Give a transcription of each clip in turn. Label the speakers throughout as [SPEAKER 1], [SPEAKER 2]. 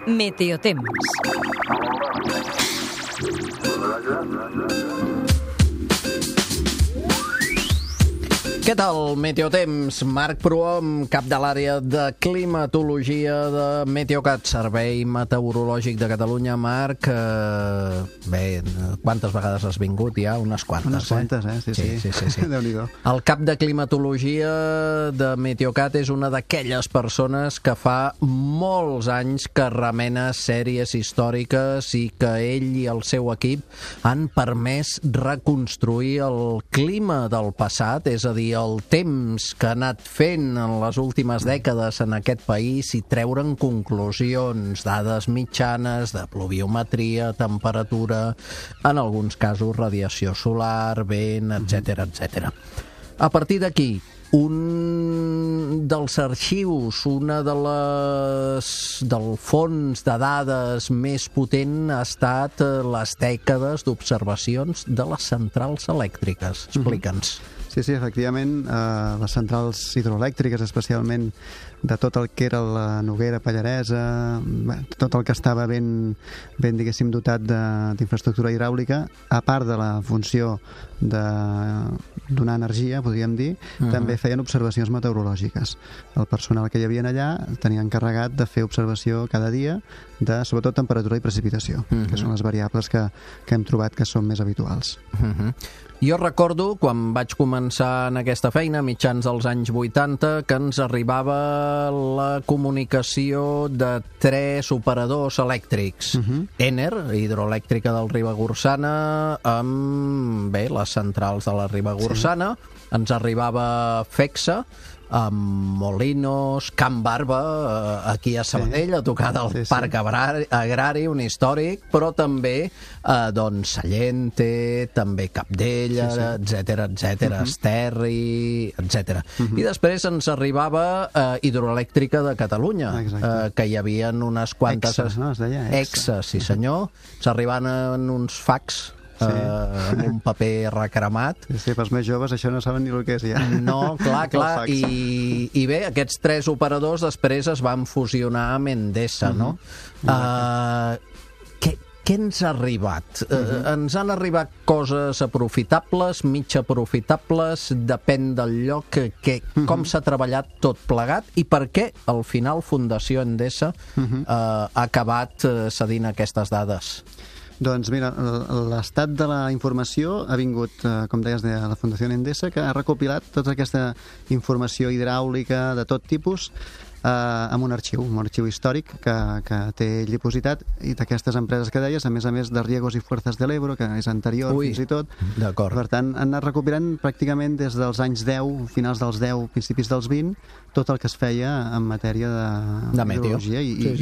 [SPEAKER 1] Meteotemps.
[SPEAKER 2] Què tal, Meteotemps? Marc Prohom, cap de l'àrea de climatologia de Meteocat, Servei Meteorològic de Catalunya. Marc, bé, quantes vegades has vingut ja? Unes quantes,
[SPEAKER 3] Unes quantes, Sí. Déu-n'hi-do.
[SPEAKER 2] El cap de climatologia de Meteocat és una d'aquelles persones que fa molts anys que remena sèries històriques i que ell i el seu equip han permès reconstruir el clima del passat, és a dir, el temps que ha anat fent en les últimes dècades en aquest país i treure'n conclusions, dades mitjanes de pluviometria, temperatura, en alguns casos radiació solar, vent, etc. A partir d'aquí, un dels arxius, del fons de dades més potent ha estat les dècades d'observacions de les centrals elèctriques. Explica'ns.
[SPEAKER 3] Sí, efectivament, les centrals hidroelèctriques, especialment de tot el que era la Noguera Pallaresa, tot el que estava ben diguéssim, dotat d'infraestructura hidràulica, a part de la funció de donar energia, podríem dir, també feien observacions meteorològiques. El personal que hi havia allà tenia encarregat de fer observació cada dia de, sobretot, temperatura i precipitació, que són les variables que hem trobat que són més habituals.
[SPEAKER 2] Jo recordo, quan vaig començar en aquesta feina, a mitjans dels anys 80, que ens arribava la comunicació de 3 operadors elèctrics. Ener, hidroelèctrica del Ribagorçana, amb les centrals de la Ribagorçana. Ens arribava FEXA, amb Molinos, Can Barba, aquí a Sabadell, a tocar del Parc Agrari, un històric, però també Sallente, també Capdella, etc, Esterri, etc. I després ens arribava Hidroelèctrica de Catalunya, que hi havia unes quantes...
[SPEAKER 3] Exes, no? Es deia
[SPEAKER 2] Exes, sí senyor. S'arribaven uns fax amb un paper recremat.
[SPEAKER 3] Sí, pels més joves això no saben ni el que és ja.
[SPEAKER 2] No, clar. I bé, aquests 3 operadors després es van fusionar amb Endesa, no? Què ens ha arribat? Ens han arribat coses aprofitables, mig aprofitables, depèn del lloc, com s'ha treballat tot plegat i per què al final Fundació Endesa ha acabat cedint aquestes dades?
[SPEAKER 3] Doncs mira, l'estat de la informació ha vingut, com deies, de la Fundació Endesa, que ha recopilat tota aquesta informació hidràulica de tot tipus amb un arxiu històric que té ell dipositat, i d'aquestes empreses que deies, a més de Riegos i Fuerzas del Ebro, que és anterior fins i tot. Per tant, han anat recuperant pràcticament des dels anys 10, finals dels 10, principis dels 20, tot el que es feia en matèria de meteorologia i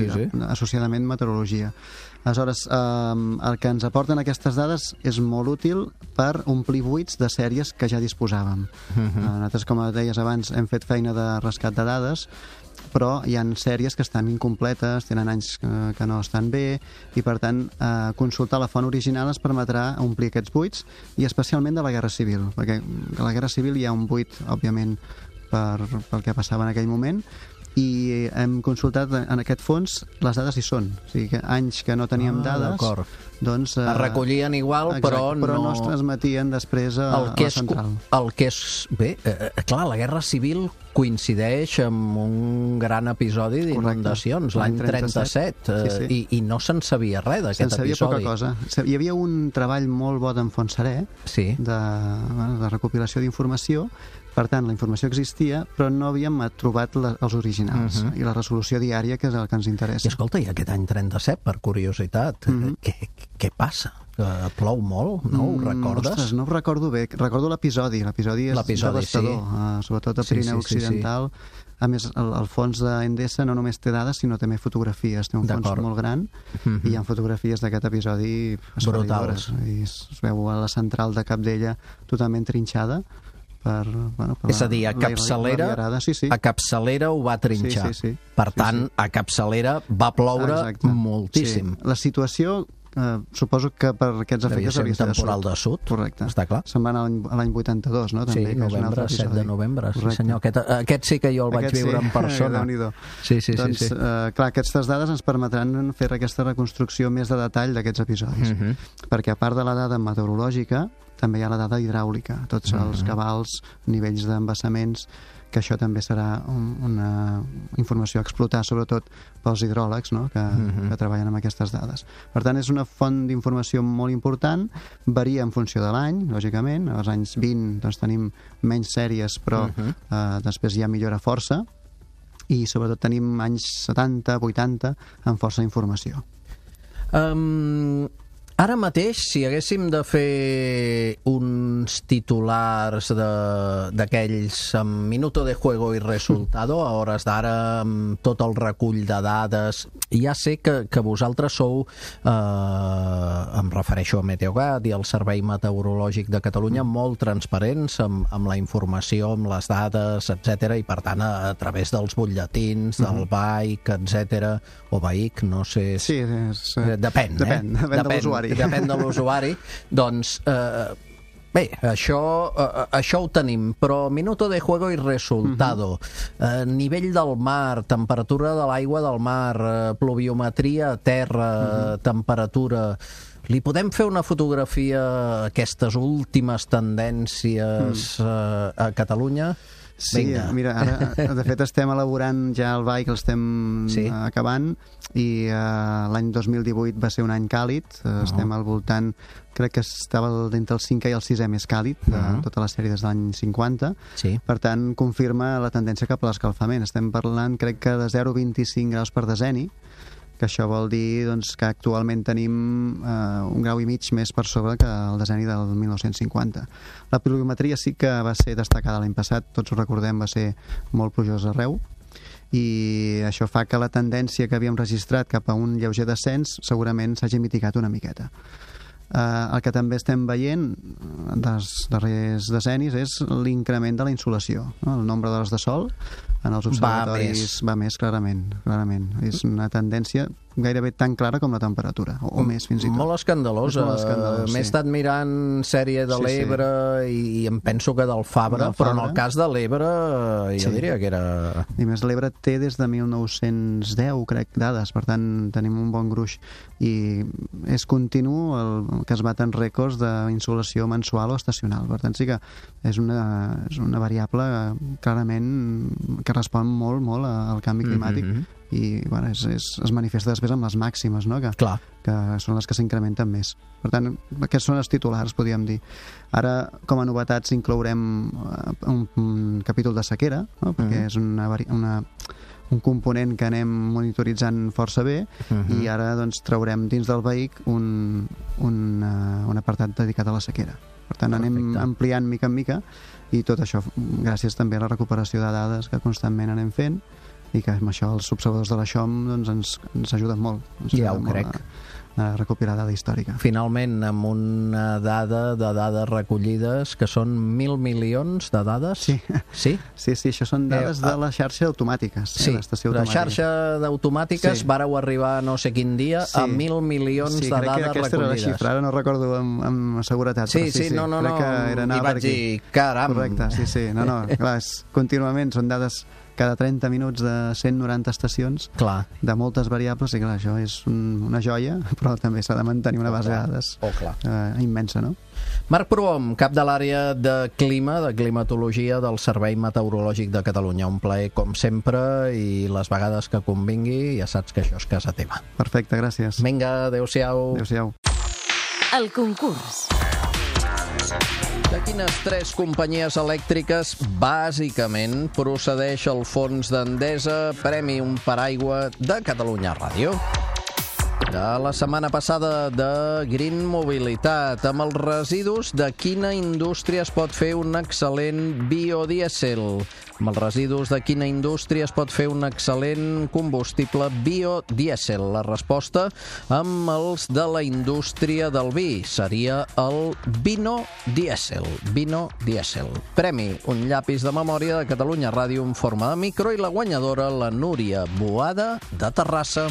[SPEAKER 3] associadament meteorologia. Aleshores, el que ens aporten aquestes dades és molt útil per omplir buits de sèries que ja disposàvem. Nosaltres, com deies abans, hem fet feina de rescat de dades, però hi ha sèries que estan incompletes, tenen anys que no estan bé, i per tant consultar la font original ens permetrà omplir aquests buits, i especialment de la Guerra Civil, perquè a la Guerra Civil hi ha un buit, òbviament, pel que passava en aquell moment, i hem consultat en aquest fons, les dades hi són, o sigui que anys que no teníem dades, doncs
[SPEAKER 2] es recollien igual, però
[SPEAKER 3] no es transmetien després a la central.
[SPEAKER 2] Bé, clar, la Guerra Civil coincideix amb un gran episodi d'inundacions, l'any 37, i no se'n sabia res d'aquest episodi.
[SPEAKER 3] Se'n sabia poca cosa. Hi havia un treball molt bo d'en Fontserè, de recopilació d'informació. Per tant, la informació existia, però no havíem trobat els originals i la resolució diària, que és el que ens interessa.
[SPEAKER 2] I escolta, i aquest any 37, per curiositat, què passa? Plou molt, no? Ho recordes?
[SPEAKER 3] Ostres, no ho recordo bé. Recordo l'episodi. L'episodi és devastador, sobretot a Pirineu Occidental. A més, el fons d'Endesa no només té dades, sinó també fotografies. Té un fons molt gran i hi ha fotografies d'aquest episodi
[SPEAKER 2] brutals.
[SPEAKER 3] I es veu a la central de Capdella totalment trinxada.
[SPEAKER 2] És a dir, a Capçalera ho va trinxar. Per tant, a Capçalera va ploure moltíssim.
[SPEAKER 3] La situació suposo que per aquests efectes
[SPEAKER 2] hauria de ser un temporal de sud.
[SPEAKER 3] Correcte.
[SPEAKER 2] Està clar.
[SPEAKER 3] Se'n va anar a l'any 82, no? També,
[SPEAKER 2] sí, novembre, 7 de novembre. Sí, senyor. Aquest sí que jo el vaig viure en persona. Sí.
[SPEAKER 3] Clar, aquestes dades ens permetran fer aquesta reconstrucció més de detall d'aquests episodis. Perquè a part de la dada meteorològica, també hi ha la dada hidràulica, tots els cabals, nivells d'embassaments, que això també serà una informació a explotar, sobretot pels hidròlegs, no? que treballen amb aquestes dades. Per tant, és una font d'informació molt important, varia en funció de l'any, lògicament. Als anys 20 doncs, tenim menys sèries, però després ja millora força, i sobretot tenim anys 70, 80, amb força informació.
[SPEAKER 2] Ara mateix, si haguéssim de fer uns titulars d'aquells amb minuto de juego i resultado, a hores d'ara, amb tot el recull de dades, ja sé que vosaltres sou, em refereixo a Meteogat i al Servei Meteorològic de Catalunya, molt transparents amb la informació, amb les dades, etc. I per tant, a través dels butlletins, del BAIC, etc. o BAIC, no sé...
[SPEAKER 3] Sí,
[SPEAKER 2] depèn de l'usuari. Depèn de l'usuari. Doncs, bé, això ho tenim, però minuto de juego i resultado, nivell del mar, temperatura de l'aigua del mar, pluviometria a terra, temperatura... Li podem fer una fotografia a aquestes últimes tendències a Catalunya?
[SPEAKER 3] Sí, mira, ara de fet estem elaborant ja el BAIC, l'estem acabant, i l'any 2018 va ser un any càlid, estem al voltant, crec que estava entre el 5è i el 6è més càlid de tota la sèrie des de l'any 50, per tant confirma la tendència cap a l'escalfament. Estem parlant, crec que de 0,25 graus per deseni, que això vol dir doncs, que actualment tenim 1,5 grau més per sobre que el deseni del 1950. La pluviometria sí que va ser destacada l'any passat, tots ho recordem, va ser molt plujós arreu, i això fa que la tendència que havíem registrat cap a un lleuger descens segurament s'hagi mitigat una miqueta. El que també estem veient dels darrers decennis és l'increment de la insolació, no? El nombre d'hores de sol en els observatoris va més clarament. És una tendència gairebé tan clara com la temperatura, o més fins i tot.
[SPEAKER 2] Molt escandalosa. M'he estat mirant sèrie de l'Ebre i em penso que del Fabra, però en el cas de l'Ebre jo diria que era...
[SPEAKER 3] I més l'Ebre té des de 1910, crec, dades, per tant tenim un bon gruix, i és continu el que es baten rècords d'insolació mensual o estacional. Per tant sí que és una variable clarament que respon molt al canvi climàtic, i bueno, es manifesta després amb les màximes, no? que són les que s'incrementen més. Per tant, aquests són els titulars, podríem dir. Ara, com a novetats, inclourem un capítol de sequera, no? Perquè és un component que anem monitoritzant força bé, i ara doncs, traurem dins del BAIC un apartat dedicat a la sequera. Per tant, anem ampliant mica en mica, i tot això gràcies també a la recuperació de dades que constantment anem fent, i que amb això els observadors de la XOM doncs, ens ajuden molt.
[SPEAKER 2] Ja ho crec.
[SPEAKER 3] A recuperar dada històrica.
[SPEAKER 2] Finalment, amb una dada de dades recollides que són 1.000 milions de dades?
[SPEAKER 3] Sí, això són dades de la xarxa d'automàtiques.
[SPEAKER 2] Sí, la xarxa d'automàtiques vareu arribar no sé quin dia a 1.000 milions de dades recollides. Sí, crec que aquesta era la xifra, ara
[SPEAKER 3] no recordo amb seguretat.
[SPEAKER 2] No, i vaig dir, caram!
[SPEAKER 3] Correcte, no, clar, contínuament són dades cada 30 minuts de 190 estacions, de moltes variables, i clar, això és una joia, però també s'ha de mantenir una base de dades immensa, no?
[SPEAKER 2] Marc Prohom, cap de l'àrea de clima, de climatologia del Servei Meteorològic de Catalunya. Un plaer, com sempre, i les vegades que convingui, ja saps que això és casa teva.
[SPEAKER 3] Perfecte, gràcies.
[SPEAKER 2] Vinga, adéu-siau.
[SPEAKER 3] Adéu-siau.
[SPEAKER 1] El concurs.
[SPEAKER 2] De quines 3 companyies elèctriques bàsicament procedeix el fons d'Endesa Premi un paraigua de Catalunya Ràdio? De la setmana passada de Green Mobilitat, amb els residus de quina indústria es pot fer un excel·lent biodièsel? Amb els residus de quina indústria es pot fer un excel·lent combustible biodièsel? La resposta amb els de la indústria del vi seria el vinodièsel. Vinodièsel. Premi, un llapis de memòria de Catalunya Ràdio en forma de micro, i la guanyadora, la Núria Boada de Terrassa.